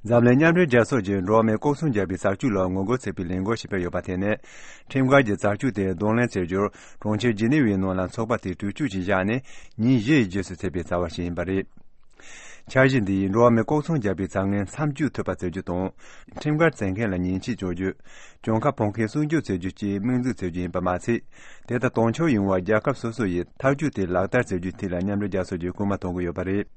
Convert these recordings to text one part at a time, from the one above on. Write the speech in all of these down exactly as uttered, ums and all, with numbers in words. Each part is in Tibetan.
འཛམ་གླིང་མཉམ་འབྲེལ་རྒྱལ་ཚོགས་ཀྱིས་འགྲོ་བ་མིའི་ལྐོག་ཚོང་རྒྱག་པའི་བྱ་སྤྱོད་ལ་ངོ་རྒོལ་བྱེད་པའི་ལས་འགུལ་ཞིག་སྤེལ་ཡོད་པ་དེ་ནི། ཁྲིམས་འགལ་གྱི་བྱ་སྤྱོད་དེ་གདོང་ལེན་བྱེད་རྒྱུར་གྲོང་ཁྱེར་ཇི་ནི་ཝའི་ནང་ལ་ཚོགས་པ་དེ་གྲོས་ཆོད་ཅིག་བཞག་ནས་ཉིན་བཞི་ཡི་རྗེས་སུ་ཚུད་པའི་བྱ་བ་ཞིག་ཡིན་པ་རེད། འཆར་གཞི་འདིས་འགྲོ་བ་མིའི་ལྐོག་ཚོང་རྒྱག་པའི་བྱ་ངན་མཚམས་གཅོད་ཐུབ་པ་བྱེད་རྒྱུ་དང་། ཁྲིམས་འགལ་བྱེད་མཁན་ལ་ཉེས་ཆད་གཅོད་རྒྱུ། གྱོང་ཁ་ཕོག་མཁན་སྲུང་སྐྱོབ་བྱེད་རྒྱུ་བཅས་དམིགས་འཛུགས་བྱེད་རྒྱུ་ཡིན་པ་མ་ཚད། དེ་དང་དུས་མཚུངས་ཡོང་བར་རྒྱལ་ཁབ་སོ་སོ་ཡིས་ཐག་གཅོད་དེ་ལག་བསྟར་བྱེད་རྒྱུའི་ཐད་ལ་མཉམ་འབྲེལ་རྒྱལ་ཚོགས་ཀྱིས་སྐུལ་མ་གཏོང་གི་ཡོད་པ་རེད།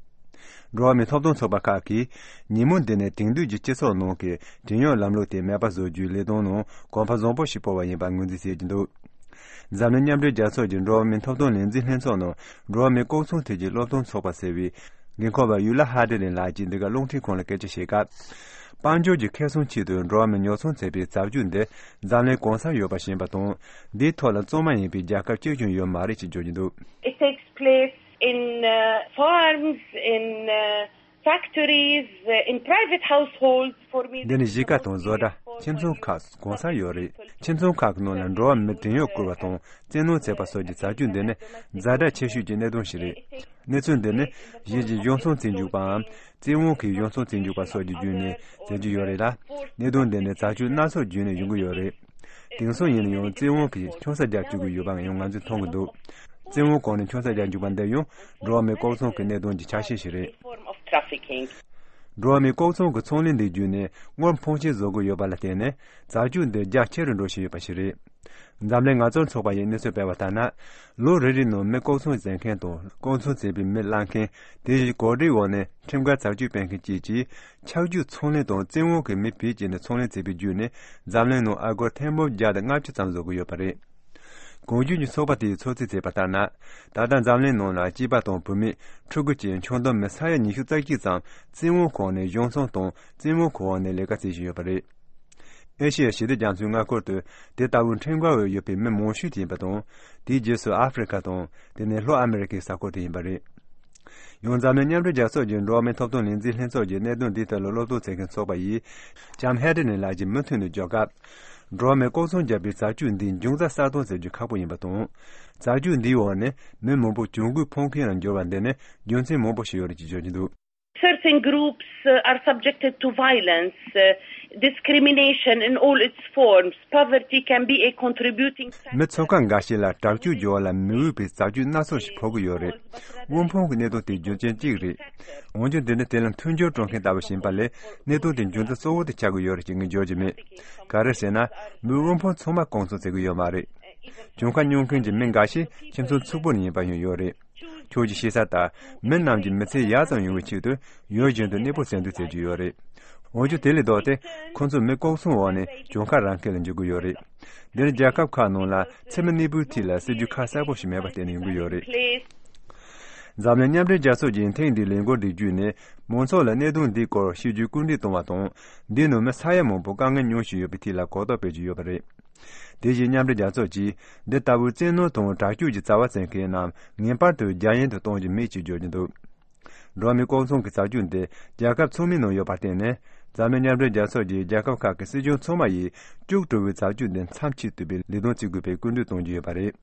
འགྲོ་བ་མིའི་ཐོབ་ཐང་ཚོགས་པ་ཁག་གིས་ཉིན་མོ་འདི་ནས་དེང་དུས་ཀྱི་སྤྱི་ཚོགས་ནང་གི་བྲན་གཡོག་ལམ་ལུགས་དེ་མེད་པ་བཟོ་རྒྱུའི་ལས་དོན་ནང་གོམ་པ་བཟང་པོ་ཞིག་སྤོ་བ་ཡིན་པར་ངོས་འཛིན་བྱེད་ཀྱི་འདུག་འཛམ་གླིང་མཉམ་འབྲེལ་རྒྱལ་ཚོགས་ཀྱི་འགྲོ་བ་མིའི་ཐོབ་ཐང་ལས་འཛིན་ལྷན་ཚོགས་ནང་འགྲོ་བ་མིའི་ལྐོག་ཚོང་ཐད་ཀྱི་སློབ་སྟོན་ཚོགས་པ་ཟེར་བའི་འགན་འཁུར་བ་ཡུ་ལ་ཧ་ཏེ་ལིན་ལགས་ཀྱིས་འདི་ག་རླུང་འཕྲིན་ཁང་ལ་སྐད་ཆ་བཤད་སྐབས། དཔལ་འབྱོར་གྱི་ཁེ་བཟང་ཆེད་དུ་འགྲོ་བ་མིའི་ཉོ་ཚོང་བྱེད་པའི་བྱ་སྤྱོད་འདི་འཛམ་གླིང་གང་སར་ཡོད་པ་ཤེས་པ་དང་། འདིའི་ཐོག་ལ་གཙང་མ་ཡིན་པའི་རྒྱལ་ཁབ་གཅིག་ཀྱང་ཡོད་མ་རེད་ཅེས་བརྗོད་ཀྱི་འདུག It takes place in uh, farms, in uh, factories, uh, in private households. For me, འདི་ནི་གཞིས་ཀ་དང་བཟོ་གྲྭ། ཁྱིམ་ཚང་ཁག་གང་སར་ཡོད་རེད། ཁྱིམ་ཚང་ཁག་གི་ནང་ལ་འགྲོ་བ་མི་བྲན་གཡོག་བཀོལ་བ་དང་བཙན་གནོན་བྱེད་པ་སོགས་ཀྱི་བྱ་སྤྱོད་འདི་ནི་ཛ་དྲག་ཆེ་ཤོས་ཀྱི་གནད་དོན་ཞིག་རེད། གནས་ཚུལ་འདི་ནི་གཞན་གྱི་གཞུང་ཚོང་བཙན་འཇུག་པའམ་བཙན་དབང་གིས་གཞུང་ཚོང་བཙན་འཇུག་པ་སོགས་ཀྱི་བརྒྱུད་ནས་མཛད་ཀྱི་ཡོད་རེད་ལ། གནད་དོན་འདི་ནི་བྱ་སྤྱོད་སྣ་ཚོགས་བརྒྱུད་ནས་ཡོང་གི་ཡོད་རེད། དེང་སང་ཡིན་ན་ཡང་བཙན་དབང་གིས་ཆང་ས་རྒྱག་བཅུག་གི་ཡོད་པའང་ཡང་ང་ཚོས་མཐོང་གི་འདུག་བཙན་དབང་གོང་ནས་ཆང་ས་རྒྱག་འཇུག་པ་འདི་ཡང་འགྲོ་བ་མིའི་ལྐོག་ཚོང་གི་གནད་དོན་གྱི་ཆ་ཤས་ཤིག་རེད། འགྲོ་བ་མིའི་ལྐོག་ཚོང་གི་ཚོང་ལས་འདི་བརྒྱུད་ནས་དངུལ་ཕོན་ཆེ་བཟོ་དགོས་ཡོད་པ་ལ་བརྟེན་ནས་བྱ་སྤྱོད་འདི་རྒྱ་ཆེ་རུ་འགྲོ་བཞིན་ཡོད་པ་ཞིག་རེད། འཛམ་གླིང་ངལ་རྩོལ་ཚོགས་པ་ཡིས་གནས་ཚུལ་སྤེལ་བ་ལྟར་ན། ལོ་རེ་རེའི་ནང་མི་ལྐོག་ཚོང་བྱེད་མཁན་དང་ལྐོག་ཚོང་བྱེད་པའི་མི་གླ་མཁན། དེ་བཞིན་གོ་སྒྲིག་འོག་ནས་ཁྲིམས་འགལ་བྱ་སྤྱོད་སྤེལ་མཁན་བཅས་ཀྱིས། ཆག་སྒྱུག་ཚོང་ལས་དང་བཙན་དབང་གིས་མི་བེད་སྤྱད་ནས་ཚོང་ལས་བྱས་པའི་བརྒྱུད་ནས་འཛམ་གླིང་ནང་ཨ་སྒོར་ཐེར་འབུམ་བརྒྱ་དང་ལྔ་བཅུ་ཙམ་བཟོ་གི་ཡོད་པ་རེད། གོང་བརྗོད་ཀྱི་ཚོགས་པ་དེས་ཚོད་རྩིས་བྱས་པ་ལྟར་ན། ད་ལྟ་འཛམ་གླིང་ནང་ལ་སྐྱེས་པ་དང་བུད་མེད་ཕྲུ་གུ་བཅས་ཆུང་དུ་མི་ས་ཡ་ཉི་ཤུ་རྩ་གཅིག་ཙམ་བཙན་དབང་འོག་ནས་གཞུང་ཚོང་དང་བཙན་དབང་འོག་ནས་ལས་ཀ་བྱེད་བཞིན་ཡོད་པ་རེད། ཨེ་ཤི་ཡ་ཞི་བདེ་རྒྱ་མཚོའི་མངའ་ཁུལ་དུ་དེ་ལྟ་བུའི་ཁྲིམས་འགལ་འོས་ཡོད་པའི་མི་མང་ཤོས་དེ་ཡིན་པ་དང་། དེའི་རྗེས་སུ་ཨ་ཧྥེ་རི་ཁ་དང་དེ་ནས་ལྷོ་ཨ་མེ་རི་ཁའི་ས་ཁུལ་དུ་ཡིན་པ་རེད། ཡང་འཛམ་གླིང་མཉམ་འབྲེལ་རྒྱལ་ཚོགས་ཀྱི་འགྲོ་བ་མིའི་ཐོབ་ཐང་ལས་འཛིན་ལྷན་ཚོགས་ཀྱི་གནད་དོན་འདིའི་ཐད་ལ་སློབ་སྟོན་བྱེད་མཁན་ཚོགས་པ་ཡིས་ལྕམ་ཧེ་ཏེ་ནི་ལགས་ཀྱིས་མུ་མཐུད་ནས་བརྗོད་སྐབས། འགྲོ་བ་མིའི་ལྐོག་ཚོང་རྒྱག་པའི་བྱ་སྤྱོད་འདིའི་འབྱུང་རྩ་གསལ་སྟོན་བྱེད་རྒྱུ་ཁག་པོ་ཡིན་པ་དང་། བྱ་སྤྱོད་འདིའི་འོག་ནས་མི་མང་པོ་གྱོང་གུད་ཕོག་མཁན་ལ་འགྱུར་བ་འདི་ནི་རྒྱུ་མཚན་མང་པོ་ཞིག་ཡོད་རེད་ཅེས་བརྗོད་ཀྱི་འདུག Certain groups uh, are subjected to violence, uh, discrimination in all its forms. Poverty can be a contributing factor. མི་ཚོགས་ཁག་འགའ་ཞིག་ལ་དྲག་སྤྱོད་བྱེད་པ་ལ་མི་འོས་པའི་བྱ་སྤྱོད་སྣ་ཚོགས་ཤིག་ཕོག་གི་ཡོད་རེད། དབུལ་ཕོངས་ཀྱི་གནད་དོན་དེ་རྒྱུ་རྐྱེན་གཅིག་རེད། འོན་ཀྱང་དེ་ནི་དེ་ལ་མཐུན་སྦྱོར་སྤྲོད་མཁན་ལྟ་བུ་ཞིག་ཡིན་པ་ལས་གནད་དོན་དེ་འབྱུང་རྩ་གཙོ་བོ་དེ་ཆགས་ཀྱི་ཡོད་རེད་ཅེས་ངས་བརྗོད་ཀྱི་མེད། ག་རེ་ཟེར་ན། མི་དབུལ་ཕོངས་ཚང་མ་ལྐོག་ཚོང་བྱེད་ཀྱི་ཡོད་མ་རེད། གྱོང་ཁ་མྱོང་མཁན་གྱི་མི་འགའ་ཞིག་ཁྱིམ་ཚང་ཕྱུག་པོ་ནས་ཡིན་པ་ཡང་ཡོད་རེད། ཁྱོད་ཀྱིས་ཤེས་ས་ལྟར། མི་རྣམས་ཀྱི་མི་ཚེ་ཡག་ཙམ་ཡོང་བའི་ཆེད་དུ་ཡུལ་གཞན་དུ་གནས་སྤོ་བྱེད་འདོད་བྱེད་ཀྱི་ཡོད་རེད། འོན་ཀྱང་དེ་ལས་ལྡོག་སྟེ་ཁོ་ཚོ་མི་ལྐོག་ཚོང་འོག་ནས་གྱོང་ཁ་རག་མཁན་ལ་འགྱུར་གྱི་ཡོད་རེད། འདིར་རྒྱལ་ཁབ་ཁག་ནང་ལ་འཚེ་མེད་གནས་སྤོའི་ཐད་ལ་སྲིད་ཇུས་ཁ་གསལ་པོ་ཞིག་མེད་པར་བརྟེན་ནས་ཡོང་གི་ཡོད་རེད། འཛམ་གླིང་མཉམ་འབྲེལ་རྒྱལ་ཚོགས་ཀྱིས་ཐེངས་འདིའི་ལས་འགུལ་འདི་བརྒྱུད་ནས་མང་ཚོགས་ལ་གནད་དོན་འདིའི་སྐོར་ཤེས་རྒྱུའི་སྐུལ་འདེད་གཏོང་བ་དང་། འདིའི་ནང་མི་ས་ཡ་མང་པོ་དཀའ་ངལ་མྱོང་བཞིན་ཡོད་པའི་ཐད་ལ་གོ་རྟོགས་སྤེལ་གྱི་ཡོད་པ་རེད། དེ་བཞིན་མཉམ་འབྲེལ་རྒྱལ་ཚོགས་ཀྱིས་འདི་ལྟ་བུའི་བཙན་གནོན་དང་དྲག་སྤྱོད་ཀྱི་བྱ་བ་བྱེད་མཁན་རྣམས་ངེས་པར་དུ་རྒྱ་ཡན་དུ་གཏོང་རྒྱུ་མེད་ཅེས་བརྗོད་ཀྱི་འདུག་འགྲོ་བ་མིའི་ལྐོག་ཚོང་གི་བྱ་སྤྱོད་འདི་རྒྱལ་ཁབ་ཚང་མའི་ནང་ཡོད་པར་བརྟེན་ནས། འཛམ་གླིང་མཉམ་འབྲེལ་རྒྱལ་ཚོགས་ཀྱིས་རྒྱལ་ཁབ་ཁག་གི་སྲིད་གཞུང་ཚང་མ་ཡིས་སྐྱུག་བྲོ་བའི་བྱ་སྤྱོད་འདི་མཚམས་ཆད་ཐུབ་པའི་ལས་དོན་བྱེད་དགོས་པའི་སྐུལ་འདེད་གཏོང་རྒྱུ་ཡོད་པ་རེད།